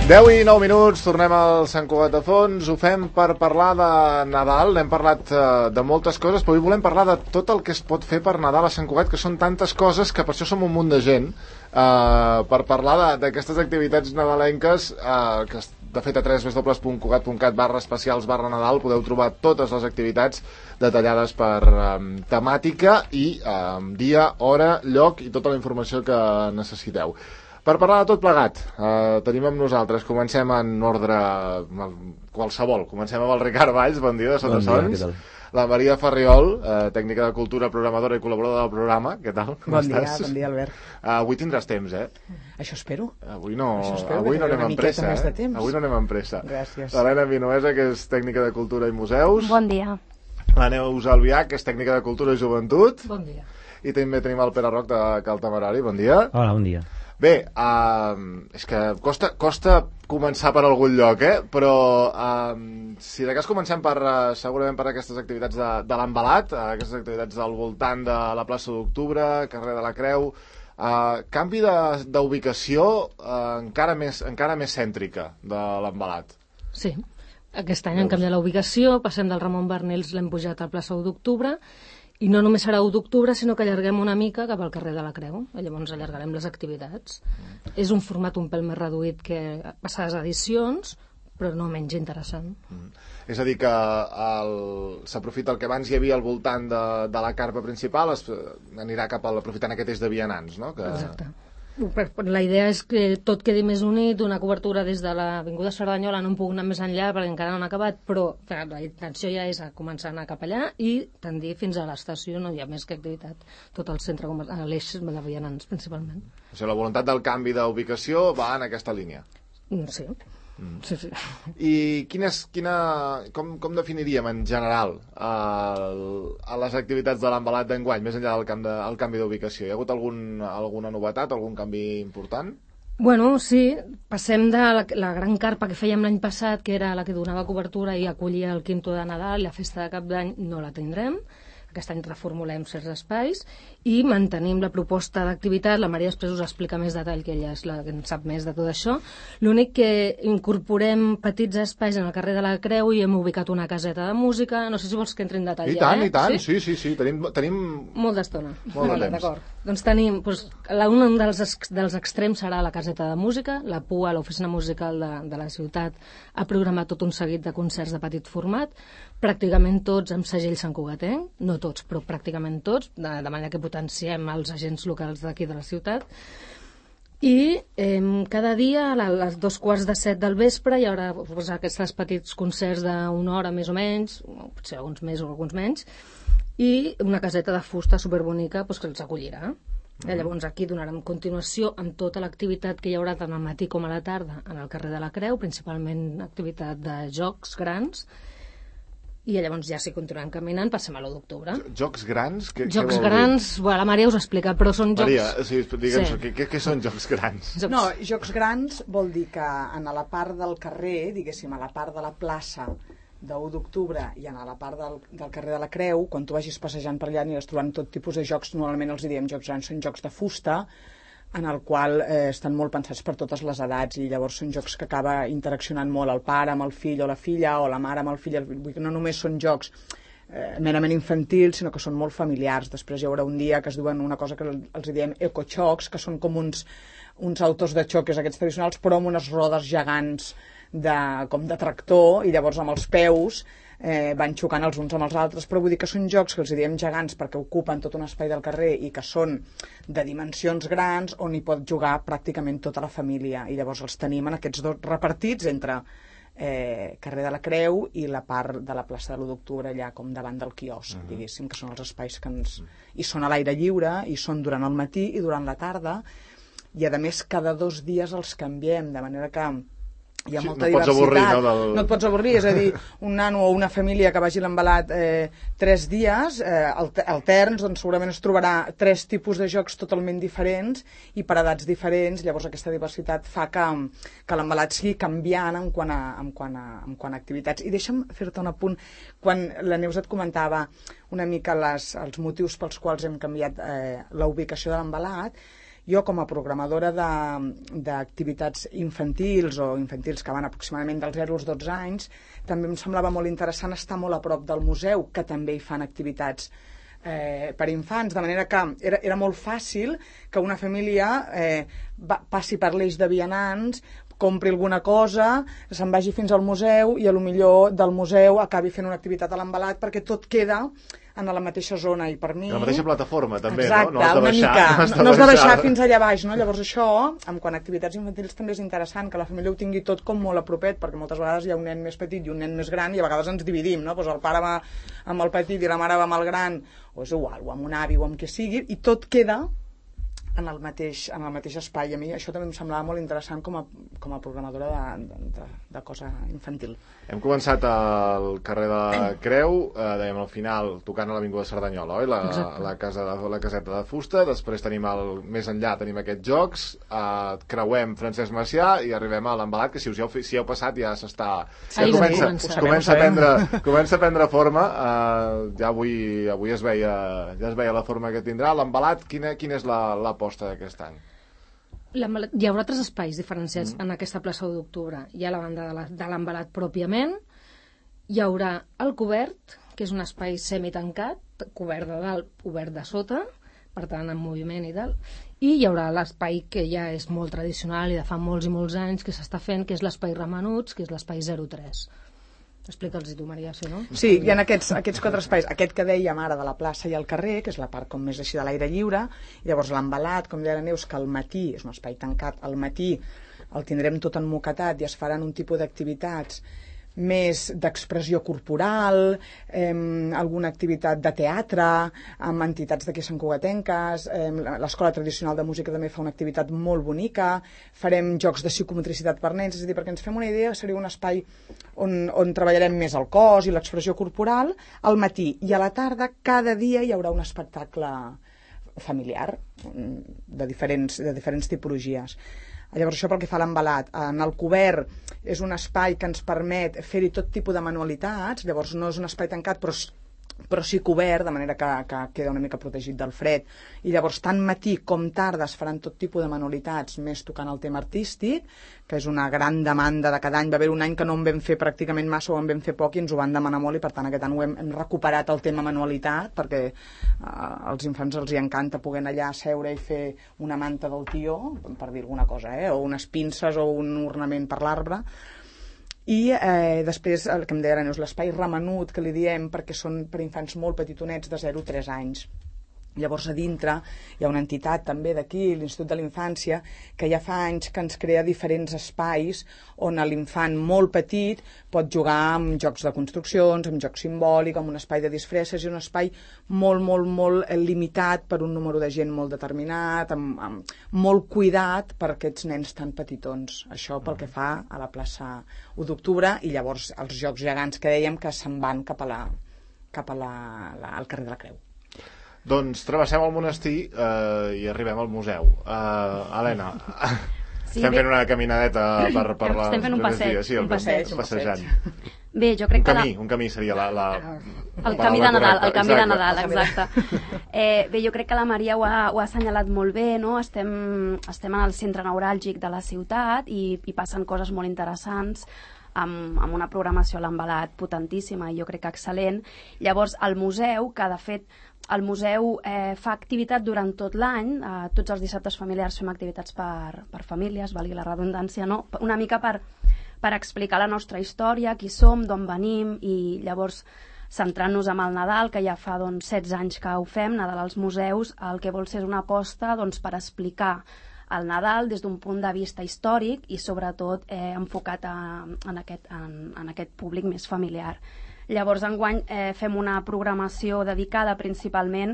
10 i 9 minuts, tornem al Sant Cugat de Fons, ho fem per parlar de Nadal, n'hem parlat de moltes coses, però avui volem parlar de tot el que es pot fer per Nadal a Sant Cugat, que són tantes coses que per això som un munt de gent, per parlar d'aquestes activitats nadalenques, que de fet a www.cugat.cat/especials/Nadal podeu trobar totes les activitats detallades per temàtica i dia, hora, lloc i tota la informació que necessiteu. Per parlar de tot plegat, tenim amb nosaltres, comencem en ordre qualsevol, comencem amb el Ricard Valls, bon dia, de Sota Sons, la Maria Farriol, tècnica de cultura, programadora i col·laboradora del programa, què tal? Bon dia, Albert. Avui tindràs temps, Això espero. Avui no anem amb pressa, Avui no anem amb pressa. Gràcies. L'Helena Vinuesa, que és tècnica de cultura i museus. Bon dia. La Neus Albià, que és tècnica de cultura i joventut. Bon dia. I també tenim el Pere Roc, de Cal Temerari, bon dia. Hola, bon dia. Bé, és que costa començar per algun lloc, però si de cas comencem segurament per aquestes activitats de l'Envelat, aquestes activitats al voltant de la plaça d'Octubre, carrer de la Creu, canvi d'ubicació encara més cèntrica de l'Envelat. Sí, aquest any hem canviat la ubicació, passem del Ramon Barnils, l'hem pujat a plaça 1 d'Octubre, i no només serà 1 d'octubre, sinó que allarguem una mica cap al carrer de la Creu. Llavors allargarem les activitats. És un format un pèl més reduït que passades edicions, però no menys interessant. És a dir, que s'aprofita el que abans hi havia al voltant de la carpa principal, anirà cap a aprofitant aquest eix de vianants, no? Exacte. La idea és que tot quedi més unit, una cobertura des de l'Avinguda Cerdanyola, no em puc anar més enllà perquè encara no han acabat, però la intenció ja és començar a anar cap allà i tendir fins a l'estació, no hi ha més que activitat, tot el centre, l'eix de vianants principalment. O sigui, la voluntat del canvi d'ubicació va en aquesta línia. Sí. Sí. I com definiríem en general les activitats de l'Envelat d'enguany, més enllà del canvi d'ubicació? Hi ha hagut alguna novetat, algun canvi important? Bueno, sí, passem de la gran carpa que fèiem l'any passat, que era la que donava cobertura i acollia el quinto de Nadal i la festa de Cap d'Any, no la tindrem. Aquest any reformulem certs espais i mantenim la proposta d'activitat. La Maria després us explica més detall, que ella és la que en sap més de tot això. L'únic que incorporem petits espais en el carrer de la Creu i hem ubicat una caseta de música. No sé si vols que entri en detall. I tant, sí. Tenim molt d'estona. Molt de temps. D'acord. Doncs tenim, un dels extrems serà la caseta de música. La PUA, l'oficina musical de la ciutat, ha programat tot un seguit de concerts de petit format, pràcticament tots amb segell santcugatenc, no tots, però pràcticament tots, de manera que potenciem els agents locals d'aquí de la ciutat. I cada dia a les 6:45 del vespre hi haurà aquests petits concerts d'una hora més o menys, potser alguns més o alguns menys, i una caseta de fusta superbonica que els acollirà. Llavors aquí donarem continuació amb tota l'activitat que hi haurà tant al matí com a la tarda en el carrer de la Creu, principalment activitat de jocs grans. I llavors ja si continuem caminant passem a l'1 d'octubre. Jocs grans? Jocs grans, la Maria us explica, però són jocs... Maria, digue'ns, què són jocs grans? No, jocs grans vol dir que a la part del carrer, diguéssim, a la part de la plaça de 1 d'octubre i a la part del carrer de la Creu, quan tu vagis passejant per allà aniràs trobant tot tipus de jocs, normalment els diem jocs grans, són jocs de fusta, en el qual estan molt pensats per totes les edats i llavors són jocs que acaba interaccionant molt el pare amb el fill o la filla o la mare amb el fill. Vull dir que no només són jocs merament infantils, sinó que són molt familiars. Després hi haurà un dia que es duen una cosa que els diem ecoxocs, que són com uns autos de xoques aquests tradicionals, però amb unes rodes gegants com de tractor, i llavors amb els peus van xocant els uns amb els altres, però vull dir que són jocs que els diem gegants perquè ocupen tot un espai del carrer i que són de dimensions grans on hi pot jugar pràcticament tota la família, i llavors els tenim en aquests dos repartits entre carrer de la Creu i la part de la plaça de l'1 d'octubre allà com davant del quiosc, diguéssim, que són els espais que i són a l'aire lliure i són durant el matí i durant la tarda, i a més cada 2 dies els canviem, de manera que hi ha molta diversitat. No et pots avorrir, és a dir, un nano o una família que vagi a l'Envelat 3 dies alterns, doncs segurament es trobarà 3 tipus de jocs totalment diferents i per edats diferents. Llavors aquesta diversitat fa que l'Envelat sigui canviant en quant a activitats. I deixa'm fer-te un apunt. Quan la Neus et comentava una mica els motius pels quals hem canviat la ubicació de l'Envelat, Jo, com a programadora d'activitats infantils o infantils que van aproximadament dels 0 als 12 anys, també em semblava molt interessant estar molt a prop del museu, que també hi fan activitats per infants, de manera que era molt fàcil que una família passi per l'eix de vianants, compri alguna cosa, se'n vagi fins al museu i a lo millor del museu acabi fent una activitat a l'Envelat, perquè tot queda en la mateixa zona, i per mi... La mateixa plataforma, també, exacte, no? No has de baixar fins allà baix, no? Llavors això, en quant a activitats infantils, també és interessant que la família ho tingui tot com molt a propet, perquè moltes vegades hi ha un nen més petit i un nen més gran i a vegades ens dividim, no? Pues el pare va amb el petit i la mare va amb el gran, o és igual, o amb un avi o amb qui sigui, i tot queda en el mateix espai. A mi això també em semblava molt interessant com a programadora de cosa infantil. Hem començat al carrer de la Creu, dèiem al final, tocant a l'Avinguda Cerdanyola, oi? La caseta de fusta, després tenim més enllà tenim aquests jocs, creuem Francesc Macià i arribem a l'Envelat, que si heu passat ja s'està... Comença a prendre forma, ja avui es veia la forma que tindrà. L'Envelat, quina és l'aposta d'aquest any? Hi haurà 3 espais diferenciats en aquesta plaça d'1 d'octubre. Hi ha la banda de l'Envelat pròpiament, hi haurà el cobert, que és un espai semitancat, cobert de dalt, obert de sota, per tant en moviment i tal, i hi haurà l'espai que ja és molt tradicional i de fa molts i molts anys que s'està fent, que és l'espai Ramenuts, que és l'espai 03. Explica'ls-hi tu, Maria, si no? Sí, hi ha aquests 4 espais. Aquest que dèiem ara de la plaça i el carrer, que és la part com més així de l'aire lliure, i llavors l'Envelat, com deia la Neus, que al matí, és un espai tancat, al matí el tindrem tot emmoquetat i es faran un tipus d'activitats més d'expressió corporal, alguna activitat de teatre, amb entitats d'aquí Sant Cugatenques, l'Escola Tradicional de Música també fa una activitat molt bonica, farem jocs de psicomotricitat per nens, és a dir, perquè ens fem una idea, seria un espai on treballarem més el cos i l'expressió corporal al matí, i a la tarda cada dia hi haurà un espectacle familiar de diferents tipologies. Llavors això pel que fa a l'Envelat. En el cobert és un espai que ens permet fer-hi tot tipus de manualitats, llavors no és un espai tancat però sí cobert, de manera que queda una mica protegit del fred, i llavors tant matí com tarda es faran tot tipus de manualitats, més tocant el tema artístic, que és una gran demanda de cada any. Va haver un any que no en vam fer pràcticament massa o en vam fer poc i ens ho van demanar molt, i per tant aquest any hem recuperat el tema manualitat, perquè als infants els hi encanta poder anar allà a seure i fer una manta del tió, per dir alguna cosa, o unes pinces o un ornament per l'arbre. I després, el que em deia és l'espai Ramenut, que li diem, perquè són per infants molt petitonets de 0 a 3 anys. Llavors a dintre hi ha una entitat també d'aquí, l'Institut de la Infància, que ja fa anys que ens crea diferents espais on l'infant molt petit pot jugar amb jocs de construccions, amb jocs simbòlics, amb un espai de disfresses, i un espai molt, molt, molt limitat per un número de gent molt determinat, amb molt cuidat per aquests nens tan petitons. Això pel que fa a la plaça 1 d'octubre, i llavors els jocs gegants que dèiem que se'n van cap al carrer de la Creu. Doncs travessem el monestir i arribem al museu. Helena, sí, estem fent una caminadeta per la... Estem fent un passeig. Sí, un passejant. Bé, jo crec que... Un camí seria el camí de Nadal, el canvi de Nadal, exacte. Bé, jo crec que la Maria ho ha assenyalat molt bé, no? Estem en el centre neuràlgic de la ciutat i passen coses molt interessants, amb una programació a l'Envelat potentíssima i jo crec que excel·lent. Llavors, el museu, que de fet el museu fa activitat durant tot l'any, tots els dissabtes familiars fem activitats per famílies, valgui la redundància, no? Una mica per explicar la nostra història, qui som, d'on venim, i llavors centrant-nos en el Nadal, que ja fa 16 anys que ho fem, Nadal als museus, el que vol ser és una aposta per explicar el Nadal des d'un punt de vista històric i sobretot enfocat en aquest públic més familiar. Llavors, enguany fem una programació dedicada principalment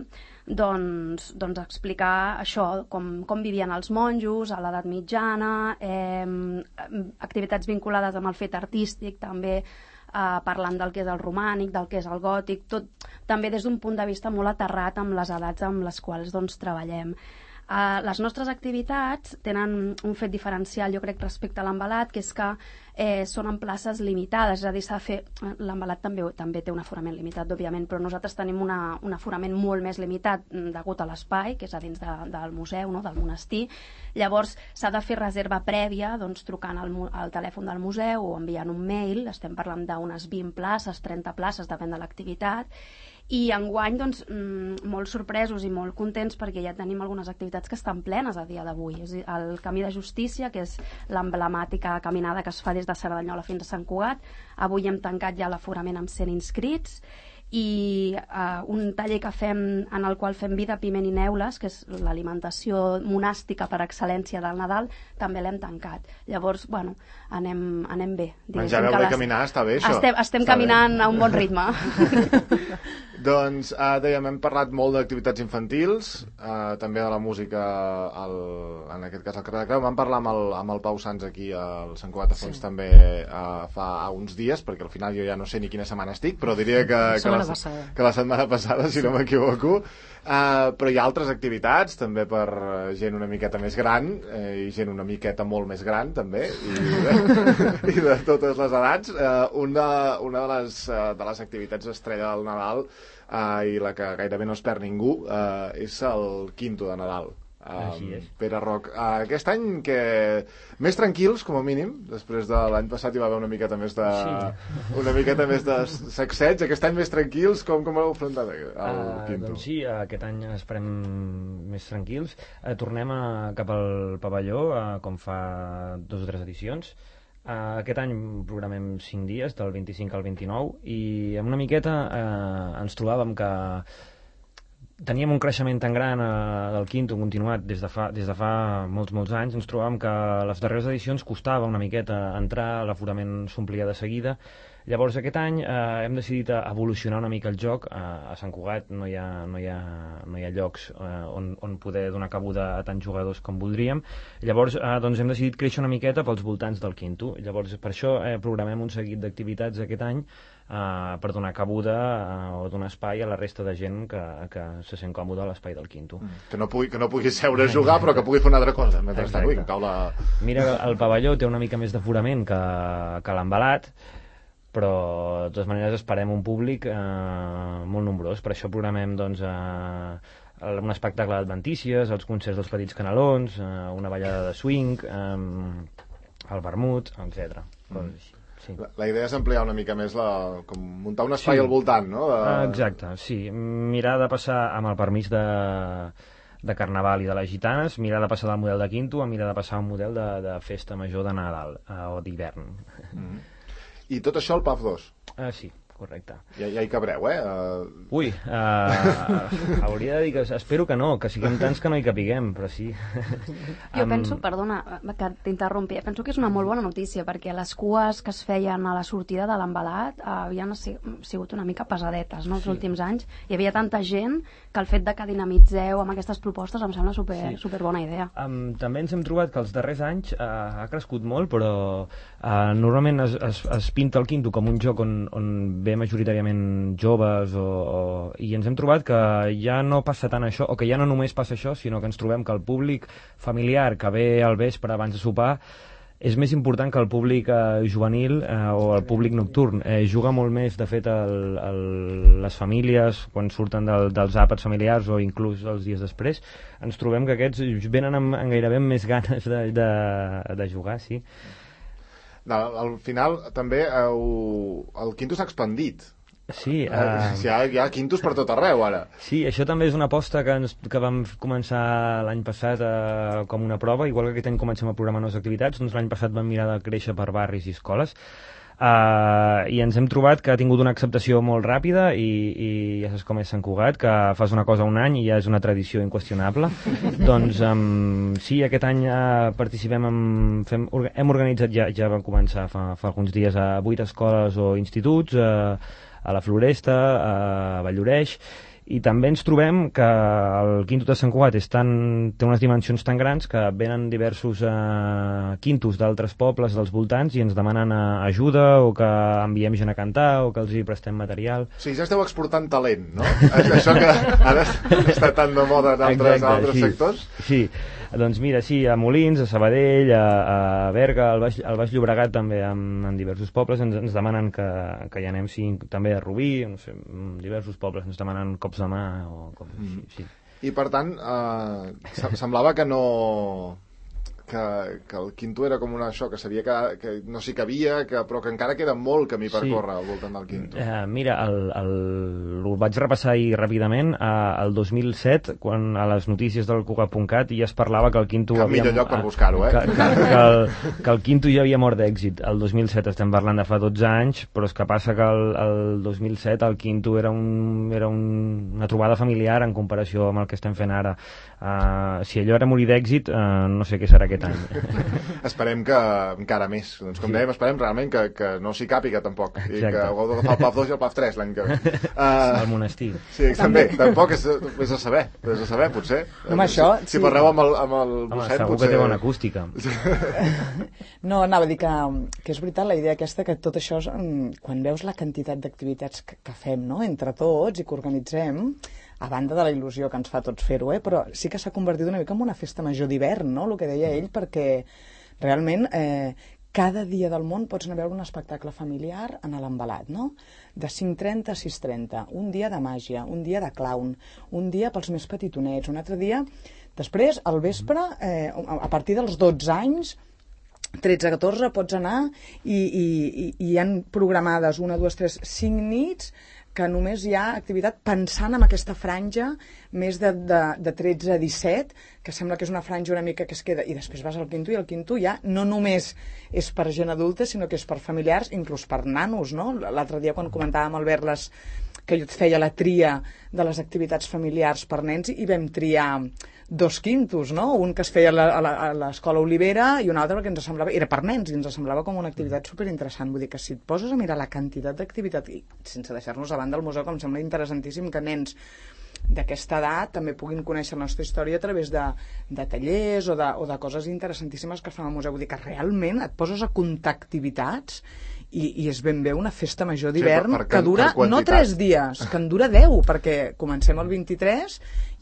a explicar això, com vivien els monjos a l'edat mitjana, activitats vinculades amb el fet artístic, també parlant del que és el romànic, del que és el gòtic, tot també des d'un punt de vista molt aterrat amb les edats amb les quals treballem. Les nostres activitats tenen un fet diferencial, jo crec, respecte a l'embalat, que és que són en places limitades, és a dir, s'ha de fer... L'embalat també té un aforament limitat, òbviament, però nosaltres tenim un aforament molt més limitat degut a l'espai, que és a dins del museu, no? Del monestir. Llavors, s'ha de fer reserva prèvia, doncs, trucant al telèfon del museu o enviant un mail. Estem parlant d'unes 20 places, 30 places, depèn de l'activitat. I enguany, doncs, molt sorpresos i molt contents perquè ja tenim algunes activitats que estan plenes a dia d'avui. És a dir, el Camí de Justícia, que és l'emblemàtica caminada que es fa des de Cerdanyola fins a Sant Cugat, avui hem tancat ja l'aforament amb 100 inscrits, i un taller que fem en el qual fem vida, piment i neules, que és l'alimentació monàstica per excel·lència del Nadal, també l'hem tancat. Llavors, bueno, anem bé. Menjar, beure i caminar, està bé, això. Estem caminant a un bon ritme. Doncs, dèiem, hem parlat molt d'activitats infantils, també de la música, en aquest cas al carrer de Creu. Vam parlar amb el Pau Sans aquí al Sant Cugat de Fons també fa uns dies, perquè al final jo ja no sé ni quina setmana estic, però diria que la setmana passada, si no m'equivoco. Però hi ha altres activitats, també per gent una miqueta més gran, i gent una miqueta molt més gran, també, i de totes les edats. Una de les activitats estrella del Nadal, i la que gairebé no es perd ningú, és el Quinto de Nadal. Pere Roc, aquest any que més tranquils, com a mínim, després de l'any passat hi va haver una miqueta més de sacseig. Aquest any més tranquils, com heu afrontat el Quinto? Doncs sí, aquest any esperem més tranquils. Tornem cap al pavelló, com fa 2 o 3 edicions. Aquest any programem 5 dies, del 25 al 29, i amb una miqueta ens trobàvem que teníem un creixement tan gran del Quinto continuat des de fa molts anys. Ens trobàvem que a les darreres edicions costava una miqueta entrar, l'aforament s'omplia de seguida. Llavors aquest any hem decidit evolucionar una mica el joc. A Sant Cugat no hi ha llocs on poder donar cabuda a tants jugadors com voldríem. Llavors doncs hem decidit créixer una miqueta pels voltants del Quinto. Llavors per això programem un seguit d'activitats aquest any per donar cabuda o donar espai a la resta de gent que se sent còmode a l'espai del Quinto. Que no pugui seure a jugar, però que pugui fer una altra cosa mentrestant. Mira, el pavelló té una mica més d'aforament que l'embalat, però de totes maneres esperem un públic molt nombrós. Per això programem doncs un espectacle d'adventícies, els concerts dels Petits Canelons, una ballada de swing, el vermut, etc. Sí. La idea és ampliar una mica més, com muntar un espai al voltant, no? Exacte, sí. Mirar de passar amb el permís de Carnaval i de les gitanes, mirar de passar del model de Quinto a mirar de passar a un model de festa major de Nadal o d'hivern. I tot això al PAF 2? Sí, correcte. Ja hi cabreu, Ui, hauria de dir que espero que no, que siguem tants que no hi capiguem, però sí. Jo penso, perdona que t'interrompi, penso que és una molt bona notícia, perquè les cues que es feien a la sortida de l'embalat havien sigut una mica pesadetes, no, els últims anys. Hi havia tanta gent que el fet de que dinamitzeu amb aquestes propostes em sembla super bona idea. També ens hem trobat que els darrers anys ha crescut molt, però normalment es pinta el Quinto com un joc on ve majoritàriament joves i ens hem trobat que ja no passa tant això, o que ja no només passa això, sinó que ens trobem que el públic familiar que ve al vespre abans de sopar és més important que el públic juvenil o el públic nocturn. Juga molt més, de fet, les famílies, quan surten dels àpats familiars o inclús els dies després, ens trobem que aquests venen amb gairebé més ganes de jugar, sí. Al final també el Quinto s'ha expandit. Sí, hi ha quintos per tot arreu ara. Sí, això també és una aposta que vam començar l'any passat com una prova, igual que aquest any comencem a programar noves activitats, doncs l'any passat vam mirar de créixer per barris i escoles, i ens hem trobat que ha tingut una acceptació molt ràpida i ja saps com és Sant Cugat, que fas una cosa un any i ja és una tradició inqüestionable. Doncs sí, aquest any participem hem organitzat, ja vam començar fa alguns dies, a 8 escoles o instituts, a la Floresta, a Valldoreix, I també ens trobem que el Quinto de Sant Cugat té unes dimensions tan grans que venen diversos quintos d'altres pobles dels voltants i ens demanen ajuda o que enviem gent a cantar o que els hi prestem material. Sí, ja esteu exportant talent, no? Això que ara està tan de moda en altres sectors. Sí, doncs mira, sí, a Molins, a Sabadell, a Berga, al Baix Llobregat també, en diversos pobles ens demanen que hi anem, sí, també a Rubí, no sé, diversos pobles ens demanen cops de mà o coses així, sí. I per tant, semblava que no... que el Quinto era com això, que sabia que no s'hi cabia, però que encara queda molt camí per córrer al voltant del Quinto. Mira, ho vaig repassar ahir ràpidament. El 2007, quan a les notícies del Cugat.cat ja es parlava que el Quinto... Cap millor lloc per buscar-ho, que el Quinto ja havia mort d'èxit. El 2007 estem parlant de fa 12 anys, però és que passa que el 2007 el Quinto era una trobada familiar en comparació amb el que estem fent ara. Si allò era morir d'èxit, no sé què serà aquest any. Esperem que encara més. Doncs com dèiem, esperem realment que no s'hi càpiga tampoc. Exacte. I que hagueu d'agafar el PAF 2 i el PAF 3 l'any que ve. El monestir. Sí, també. Tampoc és a saber, potser. Home, això... Si parleu amb el Bosset, segur potser... que té bona acústica. No, anava a dir que és veritat la idea aquesta, que tot això, quan veus la quantitat d'activitats que fem, no?, entre tots i que organitzem, a banda de la il·lusió que ens fa tots fer-ho, però sí que s'ha convertit una mica en una festa major d'hivern, no?, el que deia ell, perquè realment cada dia del món pots anar a veure un espectacle familiar en l'Envelat, no?, de 5:30 a 6:30, un dia de màgia, un dia de clown, un dia pels més petitonets, un altre dia... Després, al vespre, a partir dels 12 anys, 13-14, pots anar i hi han programades 1, 2, 3, 5 nits que només hi ha activitat pensant en aquesta franja més de 13 a 17, que sembla que és una franja una mica que es queda, i després vas al Quinto, i el Quinto ja no només és per gent adulta, sinó que és per familiars, inclús per nanos, no? L'altre dia quan comentàvem, Albert, que jo et feia la tria de les activitats familiars per nens, i vam triar 2 quintos, no? Un que es feia a l'Escola Olivera i un altre que ens semblava, era per nens, i ens semblava com una activitat superinteressant. Vull dir que si et poses a mirar la quantitat d'activitat, i sense deixar-nos a banda el museu, que em sembla interessantíssim que nens d'aquesta edat també puguin conèixer la nostra història a través de tallers o de coses interessantíssimes que es fan al museu. Vull dir que realment et poses a comptar activitats i és ben bé una festa major d'hivern que dura no 3 dies, que en dura 10, perquè comencem el 23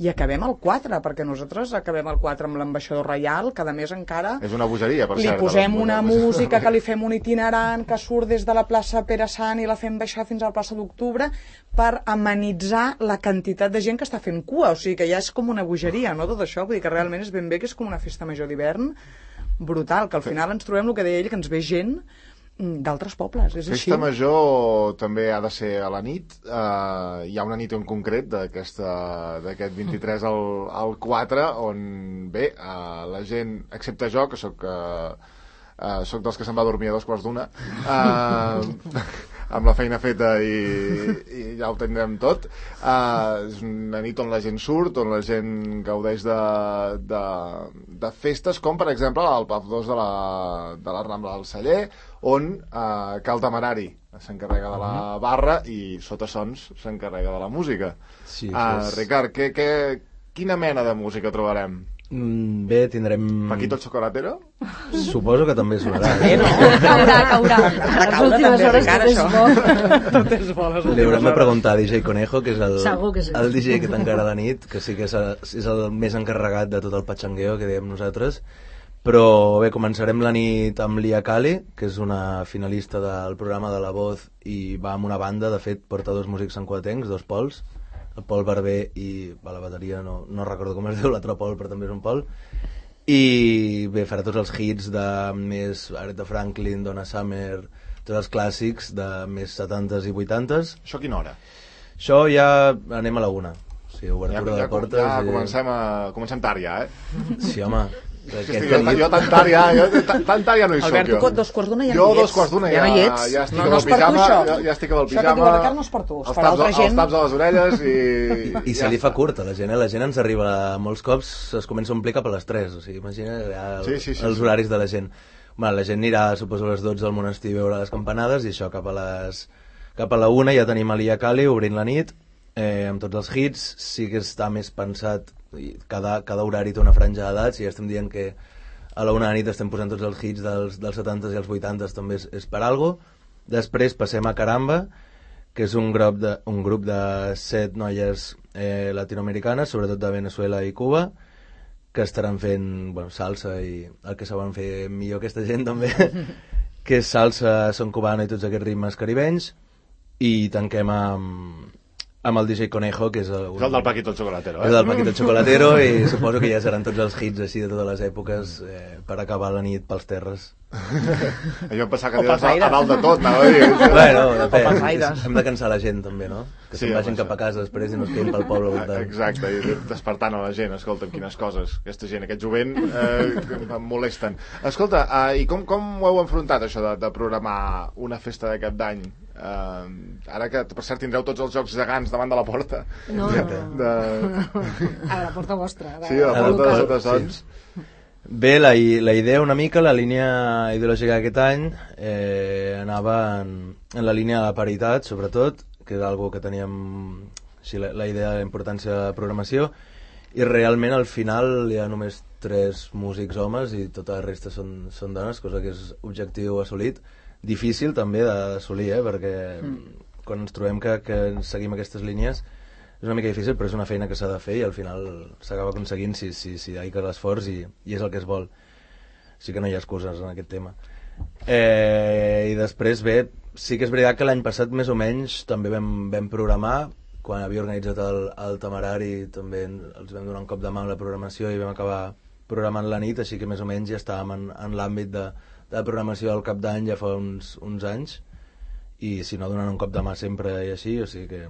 i acabem el 4, perquè nosaltres acabem el 4 amb l'ambaixador reial, que a més encara és una bogeria, per cert, li posem una música, que li fem un itinerant que surt des de la plaça Pere Sant i la fem baixar fins a la plaça d'Octubre per amenitzar la quantitat de gent que està fent cua, o sigui que ja és com una bogeria, no, tot això. Vull dir que realment és ben bé que és com una festa major d'hivern brutal, que al final ens trobem el que deia ell, que ens ve gent d'altres pobles, és així. Festa major també ha de ser a la nit. Hi ha una nit en concret d'aquest 23 al 4 on, bé, la gent, excepte jo, que soc dels que se'n va dormir a 2:15, amb la feina feta i ja ho tindrem tot. És una nit on la gent surt, on la gent gaudeix de festes, com per exemple el PAF 2 de la Rambla del Celler, on Cal Temerari s'encarrega de la barra i Sota Sons s'encarrega de la música. Sí, Ricard, quina mena de música trobarem? Bé, tindrem... Paquito el Chocolatero? Suposo que també sonarà. Caurà. Les últimes hores tot és bo. Li haurem de preguntar a DJ Conejo, que és el DJ que tancarà la nit, que sí que és el més encarregat de tot el patxangueo que dèiem nosaltres. Però bé, començarem la nit amb Lia Kali, que és una finalista del programa de La Voz i va amb una banda, de fet porta 2 músics santcugatencs, 2 Pols, el Pol Barber i a la bateria no recordo com es diu l'altre Pol, però també és un Pol, i bé, farà tots els hits de més Aretha Franklin, Donna Summer, tots els clàssics de més 70s i 80s. Això a quina hora? Això ja anem a la 1, o sigui, obertura de portes. Ja comencem tard ja, Sí, home. Jo tan tard ja no hi soc. Albert, tu 2:15 ja no hi ets. Jo 2:15 ja estic amb el pijama. Ja estic amb el pijama. Això que diu la Carme no és per tu, és per altra gent. Els taps a les orelles i se li fa curt a la gent, la gent ens arriba molts cops, es comença a omplir cap a les 3, o sigui, imagina els horaris de la gent. La gent anirà, suposo, a les 12 al monestir a veure les campanades, i això cap a la 1 ja tenim a Lia Kali obrint la nit, amb tots els hits. Sí que està més pensat, cada horari té una franja d'edats, i ja estem dient que a la 1 de la nit estem posant tots els hits dels 70s i els 80s, també és per algo. Després passem a Caramba, que és un grup de 7 noies latinoamericanes, sobretot de Venezuela i Cuba, que estaran fent salsa i el que saben fer millor aquesta gent també, que és salsa, son cubano i tots aquests ritmes caribenys. I tanquem amb el DJ Conejo, que és el del Paquito el Chocolatero, és el Paquito el Chocolatero, i suposo que ja seran tots els hits així de totes les èpoques per acabar la nit pels terres. Jo em pensava que dius a dalt de tot, anava a dir. Bueno, hem de cansar la gent també, no? Que se'n vagin cap a casa després i no es quedin pel poble voltant. Exacte, i despertant a la gent. Escolta, quines coses, aquesta gent, aquest jovent em molesten. Escolta, i com ho heu enfrontat això de programar una festa de cap d'any? Ara que per cert tindreu tots els jocs gegants davant de la porta. No. A la porta vostra. Sí, a la porta de Sotasons. Bé, la idea una mica, la línia ideològica d'aquest any anava en la línia de la paritat, sobretot, que és algo que teníem la idea de la importància de la programació, i realment al final hi ha només 3 músics homes i tota la resta són dones, cosa que és objectiu assolit. Difícil també d'assolir, perquè quan ens trobem que seguim aquestes línies és una mica difícil, però és una feina que s'ha de fer i al final s'acaba aconseguint si hi ha l'esforç i és el que es vol. Sí que no hi ha excuses en aquest tema. I després, bé, sí que és veritat que l'any passat més o menys també vam programar, quan havia organitzat el Temerari també els vam donar un cop de mà amb la programació i vam acabar programant la nit, així que més o menys ja estàvem en l'àmbit de programació del cap d'any ja fa uns anys, i si no donant un cop de mà sempre i així, o sigui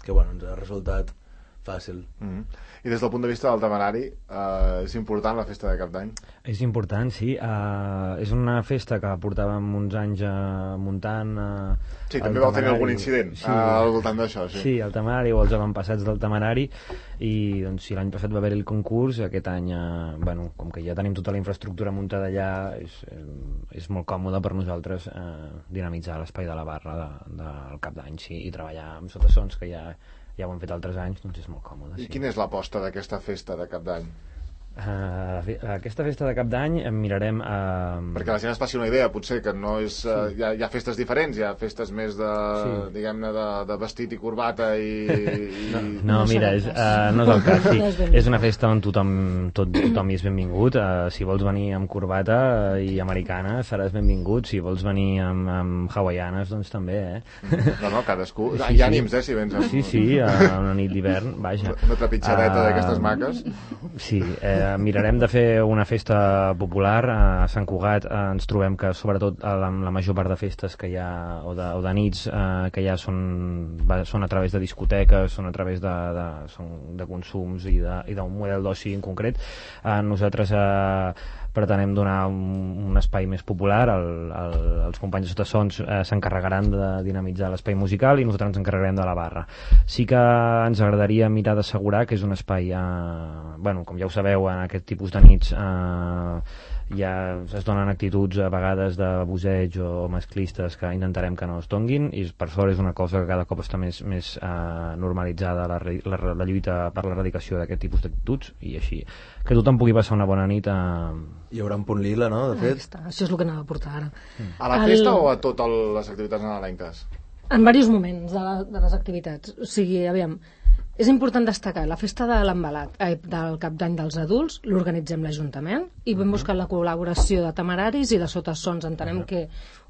que bueno, ens ha resultat fàcil. I des del punt de vista del Temerari, és important la festa de cap d'any? És important, sí. És una festa que portàvem uns anys muntant. Sí, també vau tenir algun incident al voltant d'això. Sí, el Temerari o els avantpassats del Temerari, i doncs, si l'any passat va haver-hi el concurs, aquest any, com que ja tenim tota la infraestructura muntada allà, és molt còmode per nosaltres dinamitzar l'espai de la barra del cap d'any, sí, i treballar amb Sotasons, que ja ho hem fet altres anys, doncs és molt còmode. I quina és l'aposta d'aquesta festa de cap d'any? Aquesta festa de cap d'any mirarem perquè la gent es faci una idea, potser que no és hi ha festes diferents, hi ha festes més de diguem-ne de vestit i corbata no, mira, no és el cas, sí. És una festa on tothom hi és benvingut. Si vols venir amb corbata i americana seràs benvingut, si vols venir amb hawaianes doncs també, no, cadascú, hi ha ànims, si vens amb... Sí, a una nit d'hivern, vaja, una trepitjadeta d'aquestes maques. Sí, mirarem de fer una festa popular. A Sant Cugat ens trobem que sobretot la major part de festes que hi ha o de nits que hi ha són a través de discoteques, són a través de consums i d'un model d'oci en concret. Nosaltres pretenem donar un espai més popular. Els companys de Sotasons s'encarregaran de dinamitzar l'espai musical i nosaltres ens encarregarem de la barra. Sí que ens agradaria mirar d'assegurar que és un espai, com ja ho sabeu, en aquest tipus de nits ja es donen actituds a vegades d'abuseig o masclistes que intentarem que no es donguin, i per sort és una cosa que cada cop està més normalitzada, la lluita per l'erradicació d'aquest tipus d'actituds, i així que tothom pugui passar una bona nit. Hi haurà un punt lila, no, de fet? Això és el que anava a portar ara. A la festa o a totes les activitats nadalenques? En diversos moments de les activitats. O sigui, aviam, és important destacar la festa de l'embalat del cap d'any dels adults, l'organitzem l'Ajuntament i vam buscar la col·laboració de Temeraris i de Sotasons. Entenem que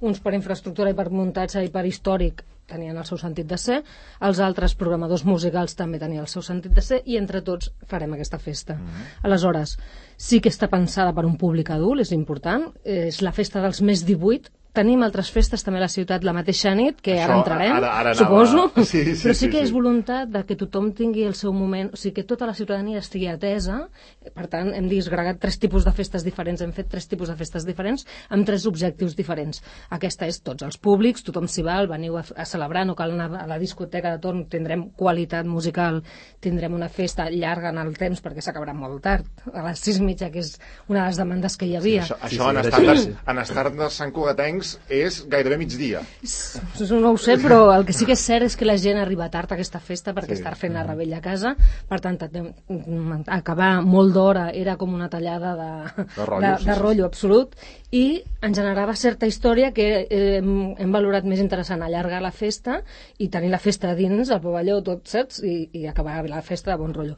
uns per infraestructura i per muntatge i per històric tenien el seu sentit de ser, els altres programadors musicals també tenien el seu sentit de ser, i entre tots farem aquesta festa. Aleshores, sí que està pensada per un públic adult, és important, és la festa dels més 18. Tenim altres festes també a la ciutat la mateixa nit, que ara entrarem, suposo, però sí que és voluntat de que tothom tingui el seu moment, o sigui que tota la ciutadania estigui atesa. Per tant, hem disgregat 3 tipus de festes diferents, hem fet 3 tipus de festes diferents amb 3 objectius diferents. Aquesta és tots els públics, tothom s'hi val, veniu a celebrar, no cal anar a la discoteca de torn, tindrem qualitat musical, tindrem una festa llarga en el temps perquè s'acabarà molt tard, a les 6:30, que és una de les demandes que hi havia. Això en estàndards santcugatencs Reus és gairebé migdia. No ho sé, però el que sí que és cert és que la gent arriba tard a aquesta festa perquè està fent la rebella a casa, per tant, acabar molt d'hora era com una tallada de rotllo absolut, i en generava certa història que hem valorat més interessant allargar la festa i tenir la festa dins, al pavelló, tot, saps? I acabar la festa de bon rotllo.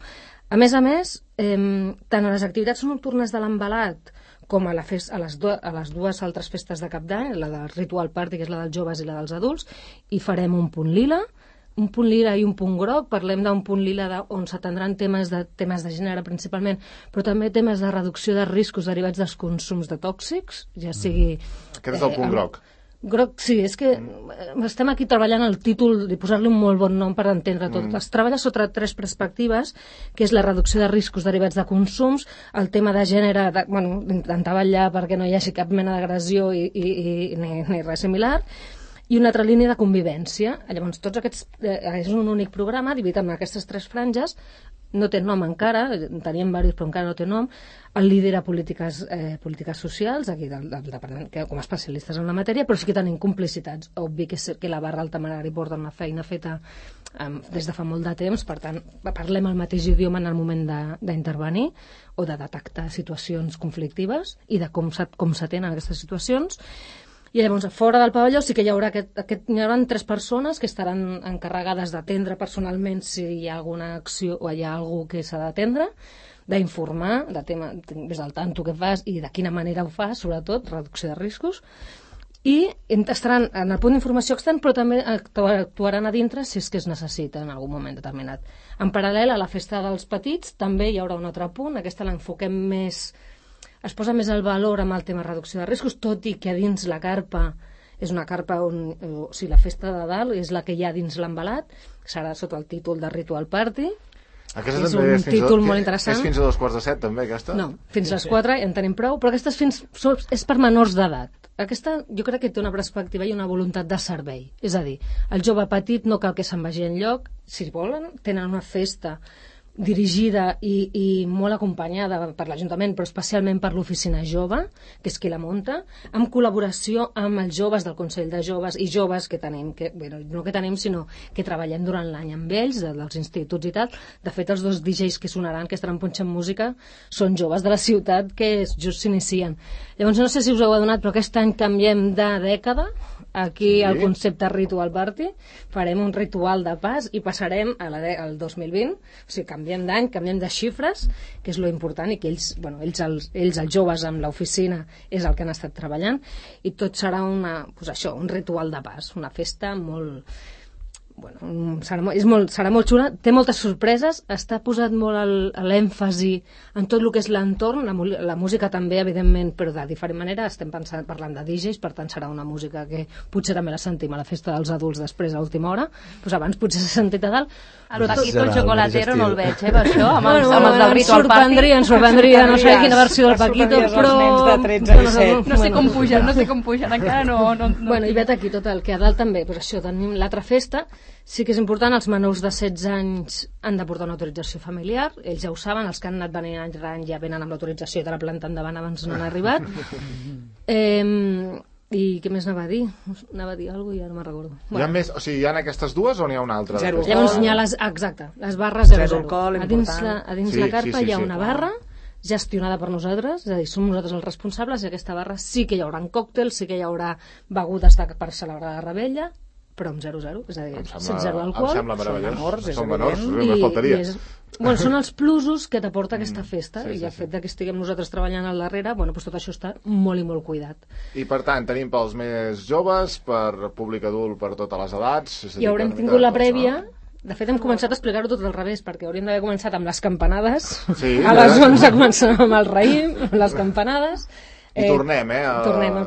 A més, tant a les activitats nocturnes de l'Envelat com a les dues altres festes de Cap d'Any, la del Ritual Party, que és la dels joves, i la dels adults, hi farem un punt lila i un punt groc. Parlem d'un punt lila on s'atendran temes de gènere principalment, però també temes de reducció de riscos derivats dels consums de tòxics, ja sigui... Aquest és el punt groc. Groc, sí, és que estem aquí treballant el títol i posar-li un molt bon nom per entendre tot. Es treballa sota 3 perspectives, que és la reducció de riscos derivats de consums, el tema de gènere, intentar vetllar perquè no hi hagi cap mena d'agressió ni res similar, i una altra línia de convivència. Llavors, tots aquests és un únic programa dividit en aquestes 3 franges. No té nom encara, teníem diversos però encara no té nom. El lidera polítiques socials, aquí del departament, com a especialistes en la matèria, però sí que tenim complicitats. Obvi que la barra alta Maragall porta una feina feta des de fa molt de temps, per tant, parlem el mateix idioma en el moment d'intervenir o de detectar situacions conflictives i de com s'atenen aquestes situacions. I llavors, a fora del pavelló sí que hi haurà hi haurà 3 persones que estaran encarregades d'atendre personalment si hi ha alguna acció o hi ha algú que s'ha d'atendre, d'informar, ves al tanto què fas i de quina manera ho fas, sobretot, reducció de riscos, i estaran en el punt d'informació extern, però també actuaran a dintre si és que es necessita en algun moment determinat. En paral·lel a la festa dels petits també hi haurà un altre punt, aquesta l'enfoquem més... Es posa més el valor amb el tema reducció de riscos, tot i que a dins la carpa és una carpa on... O sigui, la festa de dalt és la que hi ha dins l'Envelat, serà sota el títol de Ritual Party. Aquesta és un títol molt interessant. És fins a 2:45, també, aquesta? No, fins a les 4 ja en tenim prou, però aquestes és per menors d'edat. Aquesta jo crec que té una perspectiva i una voluntat de servei. És a dir, el jove petit no cal que se'n vagi enlloc, si volen, tenen una festa dirigida i molt acompanyada per l'Ajuntament, però especialment per l'Oficina Jove, que és qui la munta, amb col·laboració amb els joves del Consell de Joves i joves que tenim, no que tenim, sinó que treballem durant l'any amb ells, dels instituts i tal. De fet, els 2 DJs que sonaran, que estaran punxant música, són joves de la ciutat que just s'inicien. Llavors, no sé si us heu adonat, però aquest any canviem de dècada. Aquí el concepte Ritual Party, farem un ritual de pas i passarem al 2020, o sigui, canviem d'any, canviem de xifres, que és lo important, i que ells els joves amb l'oficina és el que han estat treballant, i tot serà un ritual de pas, una festa molt... serà molt xula, té moltes sorpreses, està posat molt l'èmfasi en tot el que és l'entorn, la música també, evidentment, però de diferent manera. Estem parlant de DJs, per tant serà una música que potser també la sentim a la festa dels adults després a última hora, doncs abans potser s'ha sentit a dalt. El Paquito el xocolatero no el veig, per això, amb els del Ritual Party. Ens sorprendria, no sé quina versió del Paquito, però... No sé com pugen, encara no... Bueno, i vet aquí tot el que a dalt també, però això, tenim l'altra festa. Sí que és important, els menors de 16 anys han de portar una autorització familiar, ells ja ho saben, els que han anat venint any rere any ja venen amb l'autorització de la planta endavant abans no han arribat. I què més anava a dir? Anava a dir alguna cosa i ja no me'n recordo. Hi ha més, o sigui, hi ha aquestes dues o n'hi ha una altra? Zero. Llavors hi ha les barres 0-0. A dins la carpa hi ha una barra gestionada per nosaltres, és a dir, som nosaltres els responsables, i aquesta barra sí que hi haurà còctels, sí que hi haurà begudes per celebrar la rebella, però amb 0-0, és a dir, sense zero alcohol. Em sembla meravellós. Són menors, només faltaria. Són els plusos que t'aporta aquesta festa, i el fet que estiguem nosaltres treballant al darrere, doncs tot això està molt i molt cuidat. I per tant, tenim pels més joves, per públic adult, per totes les edats... I haurem tingut la prèvia... De fet, hem començat a explicar-ho tot al revés, perquè hauríem d'haver començat amb les campanades, a les 11 començem amb el raïm, amb les campanades... I tornem,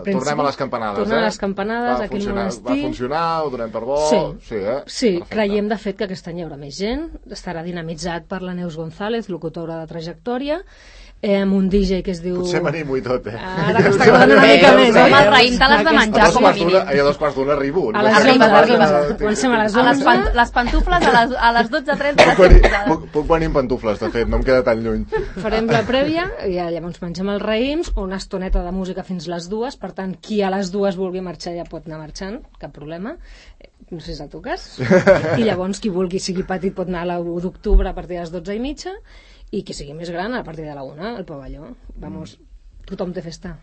tornem a les campanades. Tornem a les campanades, aquí al monestir. Va funcionar, ho donem per bo... Sí, creiem de fet que aquest any hi haurà més gent, estarà dinamitzat per la Neus González, locutora de Trajectòria. amb un DJ que es diu... Potser m'animo i tot, Ara m'està quedant una mica més, Amb el raïm te l'has de menjar, com a mínim. A 2:15 arribo. A les 11. Comencem a les 11. Les pantufles a les 12:30. Puc venir amb pantufles, de fet, no em queda tan lluny. Farem la prèvia i llavors mengem els raïms, una estoneta de música fins les 2, per tant, qui a les 2 vulgui marxar ja pot anar marxant, cap problema. No sé si és el teu cas. I llavors, qui vulgui, sigui petit, pot anar a l'1 d'octubre a partir de les 12:30, i qui sigui més gran a partir de la 1 al pavelló. Vamos, tothom té festa.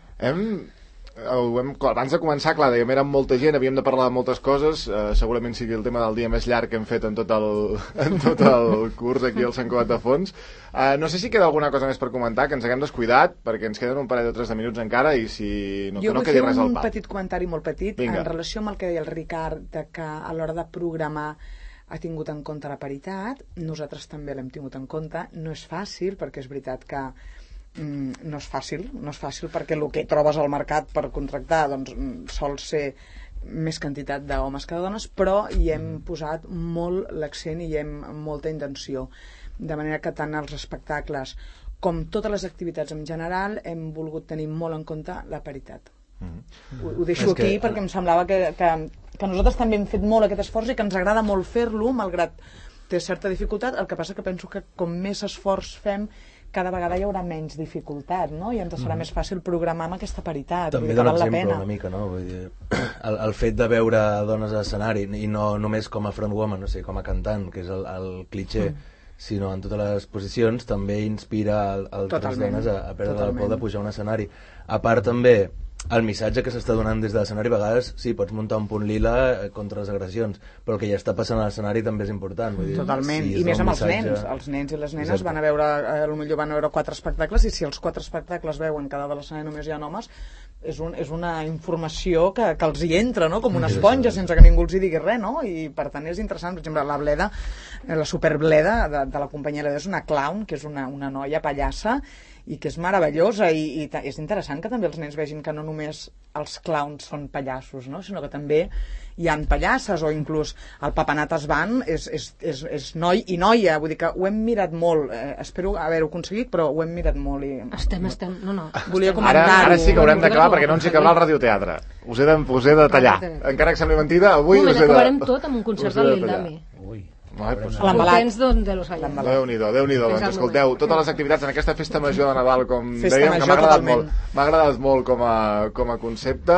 Abans de començar, clar, dèiem, érem molta gent, havíem de parlar de moltes coses, segurament sigui el tema del dia més llarg que hem fet en tot el curs aquí al Sant Cugat de Fons. No sé si queda alguna cosa més per comentar, que ens haguem descuidat, perquè ens queden un parell o 3 de minuts encara, i si no, que no quedi res al pap. Jo vull fer un petit comentari molt petit. Vinga. En relació amb el que deia el Ricard, de que a l'hora de programar ha tingut en compte la paritat. Nosaltres també l'hem tingut en compte. No és fàcil, perquè és veritat que no és fàcil perquè el que trobes al mercat per contractar doncs, sol ser més quantitat d'homes que de dones, però hi hem posat molt l'accent i hi hem molta intenció, de manera que tant els espectacles com totes les activitats en general hem volgut tenir molt en compte la paritat. Ho deixo aquí perquè em semblava que nosaltres també hem fet molt aquest esforç i que ens agrada molt fer-lo, malgrat té certa dificultat. El que passa que penso que com més esforç fem, cada vegada hi haurà menys dificultat, no? I ens serà més fàcil programar amb aquesta paritat. També dona exemple una mica, no? Vull dir, el fet de veure dones a l'escenari, i no només com a frontwoman, no sé, com a cantant, que és el cliché, sinó en totes les posicions, també inspira altres dones a perdre el por de pujar a un escenari. A part també, el missatge que s'està donant des de l'escenari, a vegades sí, pots muntar un punt lila contra les agressions, però el que ja està passant a l'escenari també és important. Vull dir, totalment, i més amb els nens. Els nens i les nenes van a veure, potser van a veure 4 espectacles, i si els 4 espectacles veuen que a l'escenari només hi ha homes, és una informació que els hi entra, no? Com una esponja, sense que ningú els hi digui res, no? I per tant és interessant. Per exemple, la Bleda, la superbleda de la companyia Bleda, és una clown, que és una noia pallassa, i que és meravellosa, i és interessant que també els nens vegin que no només els clowns són pallassos, no? Sinó que també hi han pallasses, o inclús el Papanatas Band és noi i noia, vull dir que ho hem mirat molt, espero haver-ho aconseguit, però ho hem mirat molt. Estem, no. Volia comentar-ho. Ara sí que haurem d'acabar, perquè no ens hi cabrà el radioteatre. Us he de tallar. Encara que sembli mentida, avui us he de... Acabarem tot amb un concert del Lindami. L'embalat. Déu-n'hi-do. Doncs escolteu, totes les activitats en aquesta festa major de Nadal, com dèiem, que m'ha agradat molt com a concepte.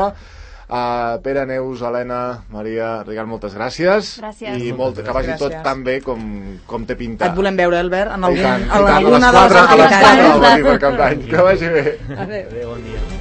Pere, Neus, Helena, Maria, Ricard, moltes gràcies. Gràcies. I que vagi tot tan bé com té pintat. Et volem veure, Albert, en alguna de les activitats. A les 4 del matí per Cap d'Any. Que vagi bé. Adéu, bon dia.